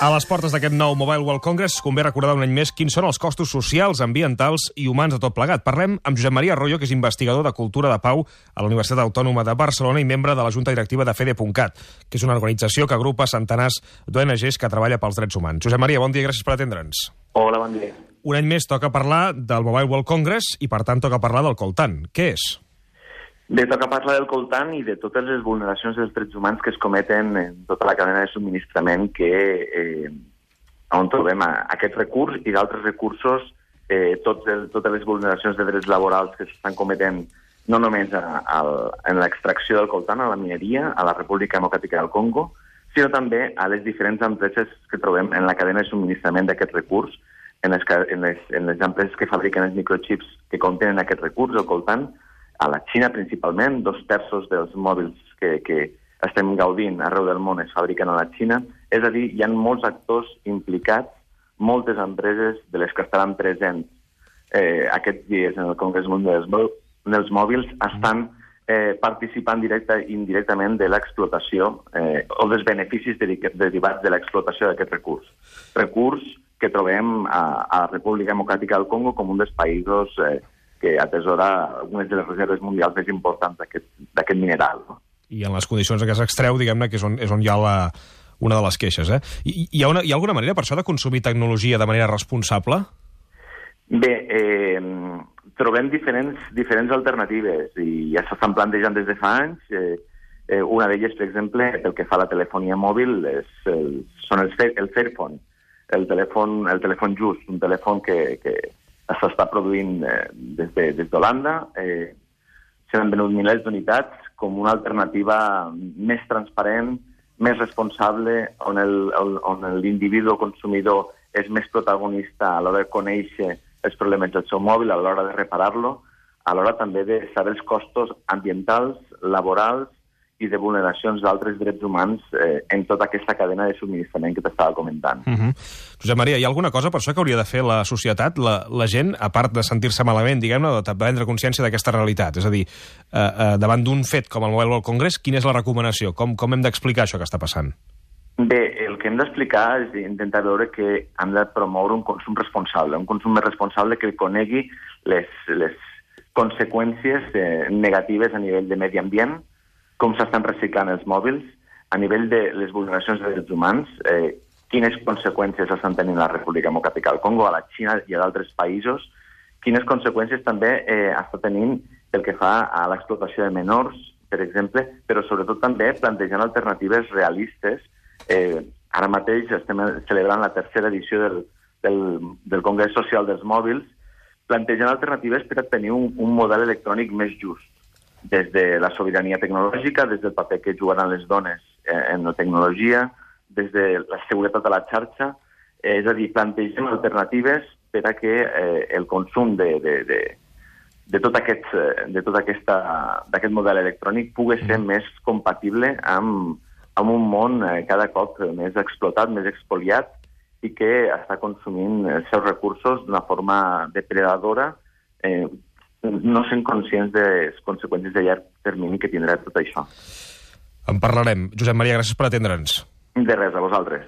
A les portes d'aquest nou Mobile World Congress convé recordar un any més quins són els costos socials, ambientals i humans de tot plegat. Parlem amb Josep Maria Arroyo, que és investigador de Cultura de Pau a la Universitat Autònoma de Barcelona i membre de la Junta Directiva de Fede.cat, que és una organització que agrupa centenars d'ONGs que treballa pels drets humans. Josep Maria, bon dia, gràcies per atendre'ns. Hola, bon dia. Un any més toca parlar del Mobile World Congress i, per tant, toca parlar del coltan. Què és? Bé, toca parlar del coltan i de totes les vulneracions dels drets humans que es cometen en tota la cadena de subministrament on trobem aquest recurs i d'altres recursos, totes les vulneracions de drets laborals que s'estan cometent no només en l'extracció del coltan, a la mineria, a la República Democràtica del Congo, sinó també a les diferents empreses que trobem en la cadena de subministrament d'aquest recurs, en les empreses que fabriquen els microchips que contenen aquest recurs, el coltan, a la Xina principalment, 2/3 dels mòbils que estem gaudint arreu del món es fabriquen a la Xina. És a dir, hi ha molts actors implicats, moltes empreses de les que estaran presents aquests dies en el Congrés Mundial dels Mòbils estan participant indirectament de l'explotació o dels beneficis derivats de l'explotació d'aquest recurs. Recurs que trobem a la República Democràtica del Congo com un dels països que atesora algunes de les reserves mundials més importants d'aquest mineral. No? I en les condicions en què s'extreu, diguem-ne, que és on hi ha una de les queixes. Hi ha alguna manera, per això, de consumir tecnologia de manera responsable? Bé, trobem diferents alternatives i ja s'estan plantejant des de fa anys. Una d'elles, per exemple, pel que fa a la telefonia mòbil, són el Fairphone, el telèfon just, un telèfon que s'està produint des d'Holanda. S'han venut milers d'unitats com una alternativa més transparent, més responsable, on l'individu consumidor és més protagonista a l'hora de conèixer els problemes del seu mòbil, a l'hora de reparar-lo, a l'hora també de saber els costos ambientals, laborals i de vulneracions d'altres drets humans en tota aquesta cadena de subministrament que t'estava comentant. Josep Maria, hi ha alguna cosa per això que hauria de fer la societat, la gent, a part de sentir-se malament, diguem-ne, de prendre consciència d'aquesta realitat? És a dir, davant d'un fet com el Mobile World Congress, quina és la recomanació? Com hem d'explicar això que està passant? Bé, el que hem d'explicar és intentar veure que hem de promoure un consum responsable, un consum més responsable que conegui les conseqüències negatives a nivell de medi ambient, com s'estan reciclant els mòbils, a nivell de les vulneracions de drets humans, quines conseqüències estan tenint la República Democràtica del Congo, a la Xina i a d'altres països, quines conseqüències també està tenint pel que fa a l'explotació de menors, per exemple, però sobretot també plantejant alternatives realistes. Ara mateix estem celebrant la tercera edició del Congrés Social dels Mòbils, plantejant alternatives per a tenir un model electrònic més just, des de la sobirania tecnològica, des del paper que jugaran les dones en la tecnologia, des de la seguretat a la xarxa, és a dir, plantegem alternatives per a que el consum d'aquest model electrònic pugui ser més compatible amb un món cada cop més explotat, més expoliat i que està consumint els seus recursos d'una forma depredadora, no sent conscients de les conseqüències de llarg termini que tindrà tot això. En parlarem. Josep Maria, gràcies per atendre'ns. De res, a vosaltres.